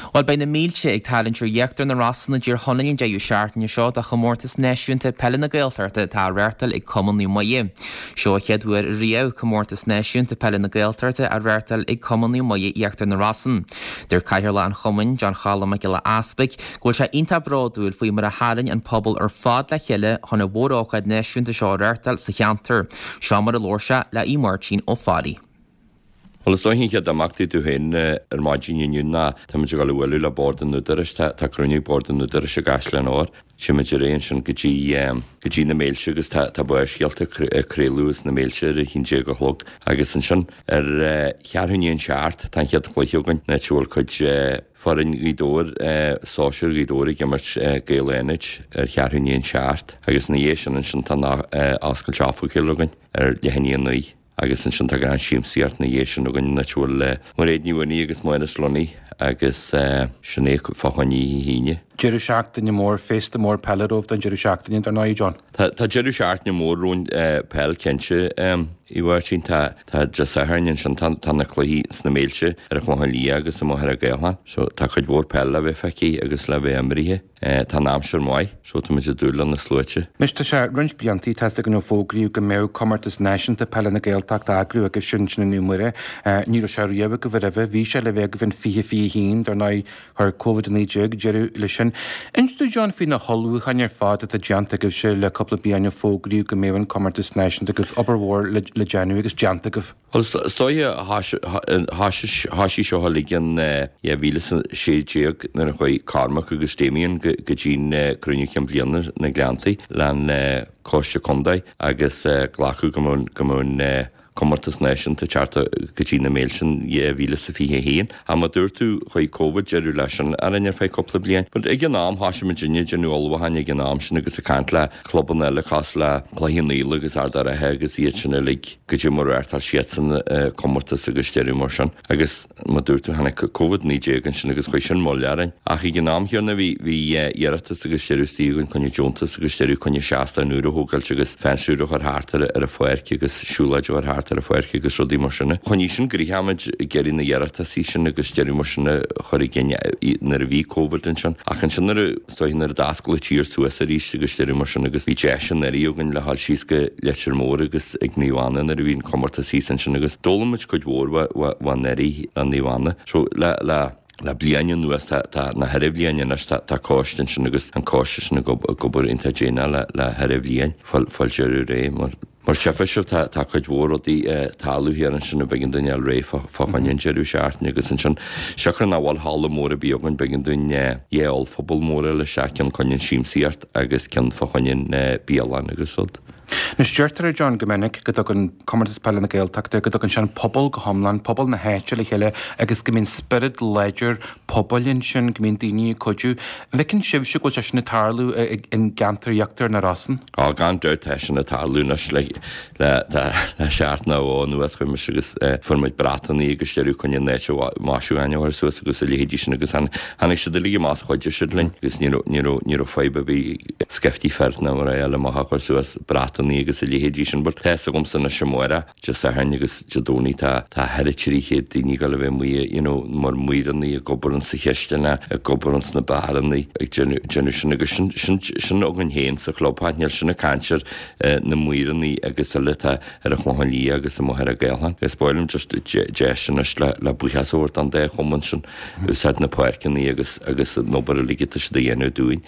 Bhuel, beidh na mílte ag tarraingt ar Íochtar na Rosann i dTír Chonaill an deireadh seachtaine seo do chomórtas náisiúnta peile na Gaeltachta atá á reáchtáil ag Cumann Naomh Muire. Seo an chéad uair riamh comórtas náisiúnta peile na Gaeltachta á reáchtáil ag Cumann Naomh Muire Íochtar na Rosann. Deir Cathaoirleach an Chumainn, John Choilm Mac Giolla Easpaig, go bhfuil sé iontach bródúil faoi mar a tharraing an pobal ar fad le chéile chun an mhórócáid náisiúnta seo a reáchtáil sa cheantar. Seo mar a labhair sé le Aodh Máirtín Ó Fearraigh. Bhuel, is dóiche an chéad imeacht tú féin ar maidin inniu ná táimid ag dul a bhualadh le Bord an Údaráis. Tá tá cruinniú Bord an Údaráis i gCaisleán Óir. Téimid ar aghaidh ansin go dtí go dtí na Méilte agus tá tá Barrscéalta ag craoladh as na Méilte ar a haon déag a chlog. Agus ansin ar cheathrú i ndiaidh an seacht tá an chéad chluiche againn, áit a bhfuil cuid foireann Ghaoth Dobhair, sóisear Ghaoth Dobhair ag imirt Gaeil Fhánaid ar cheathrú i ndiaidh an seacht. Agus ina dhiaidh sin ansin tá an oscailt oifigiúil againn ar leath i ndiaidh a naoi. Agus ansin tá gnáthshiamsaíocht ina dhiaidh sin againn, áit a bhfuil Mairéad Ní Mhaonaigh agus Máire Lunny agus sin é fá choinne oíche hAoine. Deireadh seachtaine mór, féasta mór peile romhaibh don deireadh seachtaine, dar ndóigh, John. Tá deireadh seachtaine mór romhainn peil cinnte, a Mháirtín. Tá tá Dé Sathairn ansin, tá tá na cluichí sna Méilte ar an Chlochán Liath agus i Machaire Gathlán. So tá cuid mhór peil le bheith feicthe agus le bheith imrithe. Tá an aimsir maith, so tá muid ag dúil le na sluaite. Anois tá sé roinnt bliantaí, tá's againn ó fógraíodh go mbeadh Comórtas Náisiúnta Peile na Gaeltachta á eagrú agaibhse ansin i Naomh Muire. Ní raibh sé riamh agaibh roimhe. Bhí sé le bheith agaibh in 2021, dar ndóigh chuir Covid-19 deireadh leis sin. Inis dúinn John faoi na hullmhúcháin ar fad atá déanta agaibhse le cúpla bliain ó fógraíodh go mbeadh an Comórtas Náisiúnta agaibh. Obair mhór le déanamh agus déanta agaibh. Bhuel, is dóiche, thoisigh seo uilig in 2016 nuair a chuaigh Cormac agus Damien go dtí'n cruinniú cinn bliana na Gleanntaí le'n Coiste Contae agus glacadh go mbeadh an comórtas náisiúnta ag teacht go dtí na Méilte in 2021. Ach mar dúirt tú, chuaigh Covid deireadh leis sin orainn ar feadh cúpla bliain. But ag an am, thoisigh muidinne ag déanamh ullmhúcháin ag an am sin agus ag caint le clubanna eile cosúil le Cloich Cheann Fhaola agus Ard a' Rátha agus iad sin uilig. Goidé mar a reáchtáil siadsan comórtas agus deireadh mar sin. Agus mar dúirt tú, tháinig Covid-19 ansin agus chuir sin moill orainn. Ach ag an am chéanna bhí, bhí iarratas agus deireadh istigh againn coinne deontas agus deireadh coinne seastán úr a thógáilt agus fence úr a chur thart ar ar an pháirc agus siúlóid a chur thart ar an pháirc agus rudaí mar sin. Choinnigh sin gnoitheach muid ag iarraidh na hiarratasaí sin agus deireadh mar sin a chur i gcinn nuair a bhí Covid ansin. Ach ansin nuair a. Is dóiche nuair a d'oscail an tír suas arís agus deireadh mar sin agus bhí deis anuraidh againn le dhul síos go Leitir Móir agus ag Naomh Anna nuair a bhí an comórtas thíos ansin agus d'fhoghlaim muid cuid mhór fá anuraidh le Naomh Anna. So le le le bliain anuas tá tá na ceithre bhliain anois tá tá coiste ansin agus an coiste sin ag ag obair iontach déanach le le ceithre bhliain fáil fáil deireadh réidh mar Mar tchífidh sibh tá tá cuid mhór rudaí ag tarlú thiar ansin a b'éigean dúinn fháil réidh fá fá choinne an deireadh seachtaine agus ansin siocair nach bhfuil halla mór ar bith againn b'éigean dúinn dhá ollphuball mór a fháil isteach ceann coinne an siamsaíocht agus ceann fá choinne an bialann agus rud. Anois deirtear a John go minic go dtugann Comórtas Peile na Gaeltachta go dtugann sé an pobal go hiomlán, pobal na háite le chéile agus go mbíonn spiorad láidir pobail ansin, go mbíonn daoine ag cuidiú. An bhfeiceann sibhse go bhfuil sé sin ag tarlú i gceantar Íochtar na Rosann? Á, gan dabht tá sin ag tarlú anois le le le seachtain nó dhó anuas chuaigh mise agus fuair muid bratannaí agus deireadh coinne an áit a maisiúcháin a chur suas agus a leithéidí sin agus tháinig siad uilig amach is chuidigh siad linn agus ní raibh ní raibh ní raibh fadhb ar bith scaifte fir nó mar eile amach a chur suas bratannaí agus a leithéidí sin but tá fhios agamsa anois amárach Dé Sathairn agus Dé Domhnaigh tá tá thar 300 daoine ag dul a bheith amuigh you know mar maorannaí ag obair ins sa chisteanach ag obair ins na beárannaí ag déanamh déanamh sin agus sin sin sin againn féin sa chlubtheach níl sin ag caint ar na maorannaí agus eile atá ar an Chlochán Liath agus i Machaire Gathlán. Is ba mhaith liom just deis anois le le buíochas a thabhairt don dá chumann sin úsáid na páirceannaí agus agus an obair uilig atá siad a dhéanamh dúinn.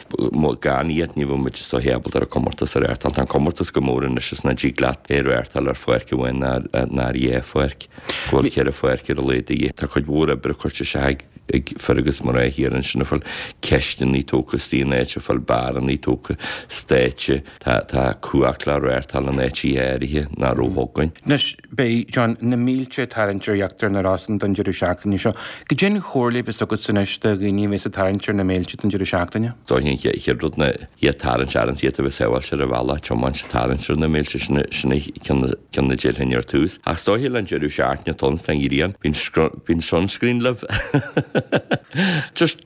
Gan iad ní bheadh muid is dóiche ábalta ar an comórtas a reáchtáil. Tá an comórtas chomh mór anois is nach dtig leat é a reáchtáil ar pháirc amháin ná ar dhá pháirc. Go bhfuil ceithre pháirc ar a laghad de dhíth. Tá cuid mhór oibre curtha isteach ag fir agus mná thiar ansin ag fáil cisteannaí tógtha istigh in áit, ag fáil beárannaí tógtha, stáitse. Tá tá cumhacht le reáchtáil in áiteacha áirithe nach raibh againn. Anois, beidh, John, na mílte ag tarraingt ar Íochtar na Rosann don deireadh seachtaine seo. Goidé an chomhairle a bheas agatsa anois do dhaoine a bheas ag tarraingt ar na mílte don deireadh seachtaine? Dóigh an chéad rud ná iad tarraingt ar an iad a bheith sábháilte ar an bhealach, tiomáint, tarraingt. tarraingt ar na mílte, sin sin ceann ceann a déarfainn ar tús. Ach is dóiche le an deireadh seachtaine atá ann tá an ghrian, bíonn bíonn sunscreen libh. Just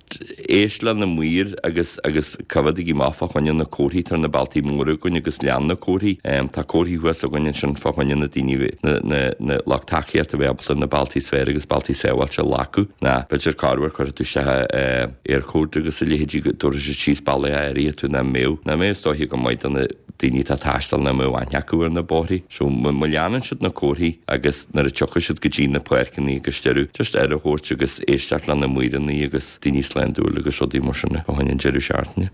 éist le na maoir agus agus coimhéadaigí amach fá choinne na comharthaí, tá na bealtaí móra againn agus lean na comharthaí. Tá comharthaí thuas againn ansin fá choinne na daoine na na na lucht tacaíochta a bheith ábalta na bealtaí is fearr agus bealtaí sábháilte a ghlacadh. Ná b'fhéidir corruair cuirfidh tú isteach Eircode agus a leithéidí go dtabharfaidh siad síos bealaí áirithe tú nach mbeadh nach mbeadh is dóiche go maith do na daoine atá ag taisteal nach mbeadh aithne acu ar na bóithrí. So má leanann siad na comharthaí agus nuair a tiocfaidh siad go dtí na páirceanna agus deireadh, just aire a thabhairt agus éisteacht le na maoireanna agus daoine sláintiúil agus rudaí mar sin fá choinne an deireadh seachtaine.